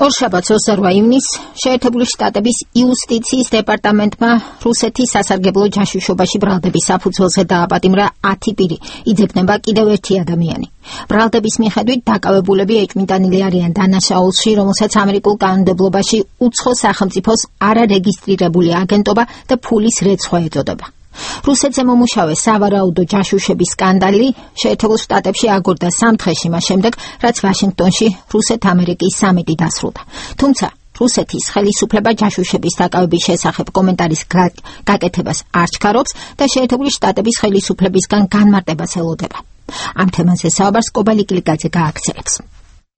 ორშაბათს 28 ივნისს შეერთებული შტატების იუსტიციის დეპარტამენტმა რუსეთის სასარგებლო ჯაშუშობაში ბრალდების საფუძველზე დააპატიმრა 10 პირი. იძებნება კიდევ ერთი ადამიანი. ბრალდების მიხედვით დაკავებულები ეჭვმიტანილი არიან დანაშაულში, რომელსაც ამერიკულ კანონმდებლობაში უცხო სახელმწიფოს არარეგისტრირებული აგენტობა და ფულის რეცხვა ეწოდება. რუსეთზე მომუშავე სავარაუდო ჯაშუშების სკანდალი შეერთებულ შტატებში აგორდა 3 დღეში მას შემდეგ, რაც ვაშინგტონში რუსეთ-ამერიკის სამიტი დასრულდა. თუმცა რუსეთის ხელისუფლება ჯაშუშების დაკავების შესახებ კომენტარის გაკეთებას არ ჩქარობს და შეერთებული შტატების ხელისუფლებისგან განმარტებას ელოდება. ამ თემაზე საუბარს კობალი კლიკაძე გააქცევს.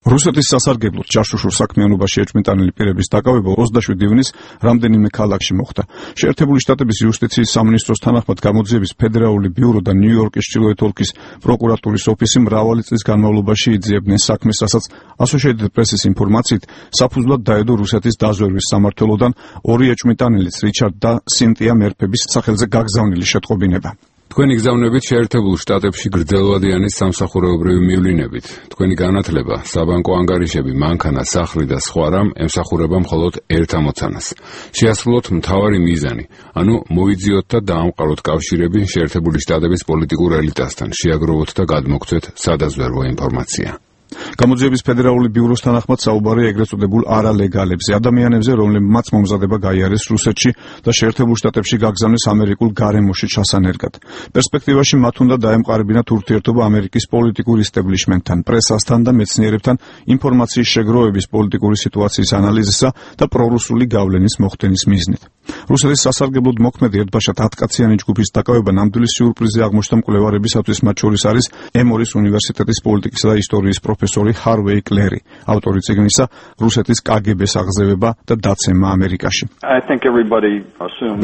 რუსეთის სასარგებლოდ ჯაშუშურ საქმიანობაში ეჭვმიტანილი პირების დაკავება 27 ივნისს რამდენიმე ქალაქში მოხდა. შეერთებული შტატების იუსტიციის სამინისტროს თანახმად გამოძიების ფედერალური ბიურო და ნიუ-იორკის ჩრდილოეთ ოლქის პროკურატურის ოფისი მრავალი წლის განმავლობაში იძიებდნენ საქმეს, რასაც Associated Press-ის ინფორმაციით საფუძვლად დაედო რუსეთის დაზვერვის სამმართველოდან 2 ეჭვმიტანილის რიჩარდ და სინტია მერფების სახელზე გაგზავნილი შეტყობინება. თქვენი გზავნებით შეერთებულ შტატებში გრძელვადიანი სამსახურეობრივი მივლინებით. თქვენი განათლება, საბანკო ანგარიშები, მანქანა, სახლი და სხვა რამ ემსახურება მხოლოდ ერთ ამოცანას. შეასრულოთ მთავარი მიზანი, ანუ მოიძიოთ და დაამყაროთ კავშირები შეერთებული შტატების პოლიტიკურ ელიტასთან, შეაგროვოთ და გადმოგცეთ სადაზვერვო ინფორმაცია. გამოძიების ფედერალური ბიუროს თანახმად საუბარია ეგრეთ წოდებულ არალეგალებზე, ადამიანებზე, რომლებმაც მომზადება გაიარეს რუსეთში და შეერთებულ შტატებში გაგზავნეს ამერიკულ გარემოში ჩასანერგად. პერსპექტივაში მათ უნდა დაემყარებინათ ურთიერთობა ამერიკის პოლიტიკურ ისტაბლიშმენტთან, პრესასთან და მეცნიერებთან ინფორმაციის შეგროვების, პოლიტიკური სიტუაციის ანალიზისა და პრორუსული გავლენის მოხდენის მიზნით. რუსეთის სასარგებლოდ მოქმედი ერთბაშად 10 კაციანი ჯგუფის დაკავება ნამდვილი სიურპრიზი აღმოჩნდა მკვლევარებისათვის, მათ შორის არის ემორის უნივერსიტეტის პოლიტიკისა და ისტორიის პროფესორი ჰარვეი კლერი, ავტორი წიგნისა რუსეთის კგბ-ს აღზევება და დაცემა ამერიკაში.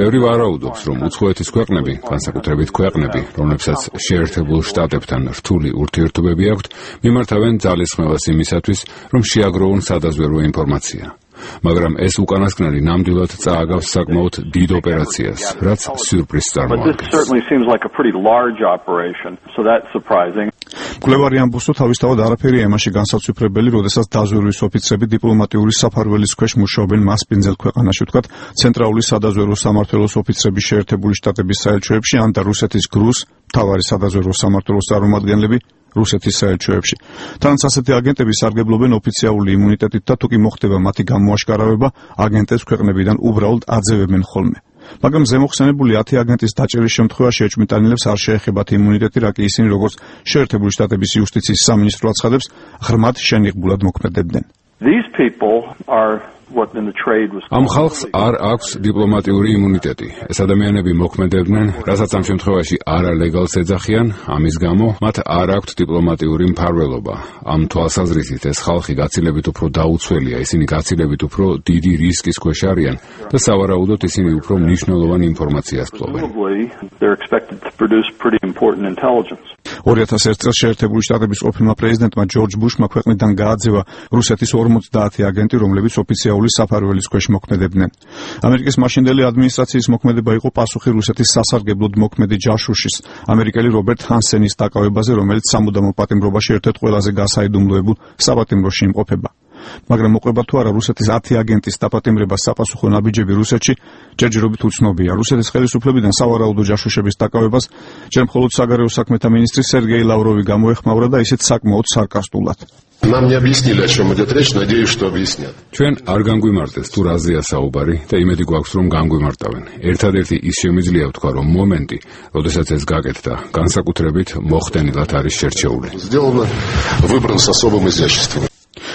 ბევრი ვარაუდობს, რომ უცხოეთის ქვეყნები, განსაკუთრებით ქვეყნები, რომლებსაც შეერთებულ შტატებთან რთული ურთიერთობები აქვთ, მიმართავენ ძალისხმევას იმისათვის, რომ შეაგროვონ სადაზვერვო ინფორმაცია. მაგრამ ეს უკანასკნელი ნამდვილად წააგავს საკმაოდ დიდ ოპერაციას, რაც სიურპრიზს წარმოადგენს. მკვლევარი ამბობს, რომ თავისთავად არაფერი ემაში განსაცვიფრებელი, როდესაც დაზვერვის ოფიცრები დიპლომატიური საფარველის ქვეშ მუშაობენ მასპინძელ ქვეყანაში, ვთქვათ, ცენტრალური სადაზვერვო სამმართველოს ოფიცრები შეერთებული შტატების საელჩოებში, ან და რუსეთის გრუს მთავარი სადაზვერვო სამმართველოს წარმომადგენლები რუსეთის საელჩოებში. თანაც ასეთი აგენტები სარგებლობენ ოფიციალური იმუნიტეტით და თუ კი მოხდება მათი გამოაშკარავება, აგენტებს ქვეყნებიდან უბრალოდ აძევებენ ხოლმე. მაგრამ ზემოხსენებული 10 აგენტის დაჭერის შემთხვევაში ეჭვმიტანილებს არ შეეხებათ იმუნიტეტი, რა კი ისინი, როგორც შეერთებული შტატების იუსტიციის სამინისტრო აცხადებს, ღრმად შენიღბულად მოქმედებდნენ. ამ ხალხს არ აქვს დიპლომატიური იმუნიტეტი. ეს ადამიანები მოქმედებდნენ, რასაც ამ შემთხვევაში არალეგალს ეძახიან, ამის გამო მათ არ აქვთ დიპლომატიური მფარველობა. ამ თვალსაზრისით ეს ხალხი გაცილებით უფრო დაუცველია, ისინი გაცილებით უფრო დიდი რისკის ქვეშ არიან და სავარაუდოდ ისინი უფრო მნიშვნელოვან ინფორმაციას ფლობენ. 2001 წელს შეერთებული შტატების ყოფილმა პრეზიდენტმა ჯორჯ ბუშმა ქვეყნიდან გააძევა რუსეთის 50 აგენტი, რომლებიც ოფიციალური საფარველის ქვეშ მოქმედებდნენ. ამერიკის მაშინდელი ადმინისტრაციის მოქმედება იყო პასუხი რუსეთის სასარგებლოდ მოქმედი ჯაშუშის, ამერიკელი რობერტ ჰანსენის დაკავებაზე, რომელიც სამუდამო პატიმრობაში ერთ-ერთ ყველაზე გასაიდუმლოებულ საპატიმროში იმყოფება. მაგრამ მოყვება თუ არა რუსეთის 10 აგენტის დაპატიმრება საპასუხო ნაბიჯები რუსეთში ჯერჯერობით უცნობია. რუსეთის ხელისუფლებიდან სავარაუდო ჯაშუშების დაკავებას ჯერ მხოლოდ საგარეო საქმეთა მინისტრი სერგეი ლავროვი გამოეხმაურა და ისიც საკმაოდ სარკასტულად. ჩვენ არ განგვიმარტეს თუ რაზეა საუბარი და იმედი გვაქვს, რომ განგვიმარტავენ. ერთადერთი ის შემიძლია ვთქვა, რომ მომენტი, როდესაც ეს გაკეთდა, განსაკუთრებით მოხდენილად არის შერჩეული.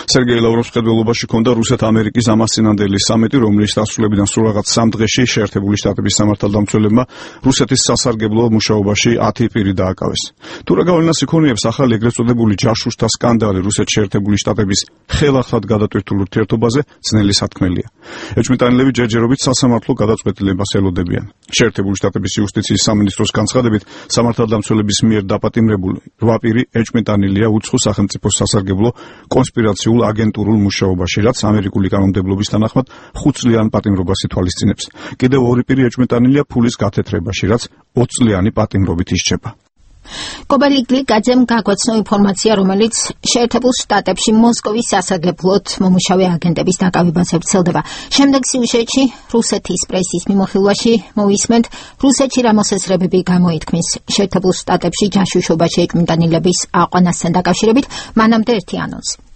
სერგეი ლავროვის მხედველობაში ჰქონდა რუსეთ-ამერიკის ამასწინანდელი სამიტი, რომლის დასრულებიდან სულ რაღაც 3 დღეში შეერთებული შტატების სამართალდამცველებმა რუსეთის სასარგებლო მუშაობაში 10 პირი დააკავეს. თუ რა გავლენას იქონიებს ახალი ეგრეთ წოდებული ჯაშუშთა სკანდალი რუსეთის შეერთებული შტატების ხელახლად გადატვირთულ ურთიერთობაზე, ძნელი სათქმელია. ეჭვმიტანილები ჯერჯერობით სასამართლო გადაწყვეტილებას ელოდებიან. შეერთებული შტატების იუსტიციის სამინისტროს განცხადებით, სამართალდამცველების მიერ დაპატიმრებული 8 პირი ეჭვმიტანილია უცხო სახელმწიფოს სასარგებლო კონსპირაციულ აგენტურულ მუშაობაში, რაც ამერიკული კანონმდებლობის თანახმად 5 წლიან პატიმრობას ითვალისწინებს. კიდევ 2 პირი ეჭვმიტანილია ფულის გათეთრებაში, რაც 20 წლიანი პატიმრობით ისჩება. კობალიგლიკაძემ გაგვაცნო ინფორმაცია, რომელიც შეერთებულ შტატებში მოსკოვის სასარგებლოდ მომუშავე აგენტების დაკავებაზე ვრცელდება. შემდეგ სიუჟეტში რუსეთის პრესის მიმოხილვაში მოვისმენთ, რუსეთში რა მოსაზრებები გამოითქმის შეერთებულ შტატებში ჯაშუშობაში ეჭვმიტანილების აყვანასთან დაკავშირებით. მანამდე ერთი ანონსი.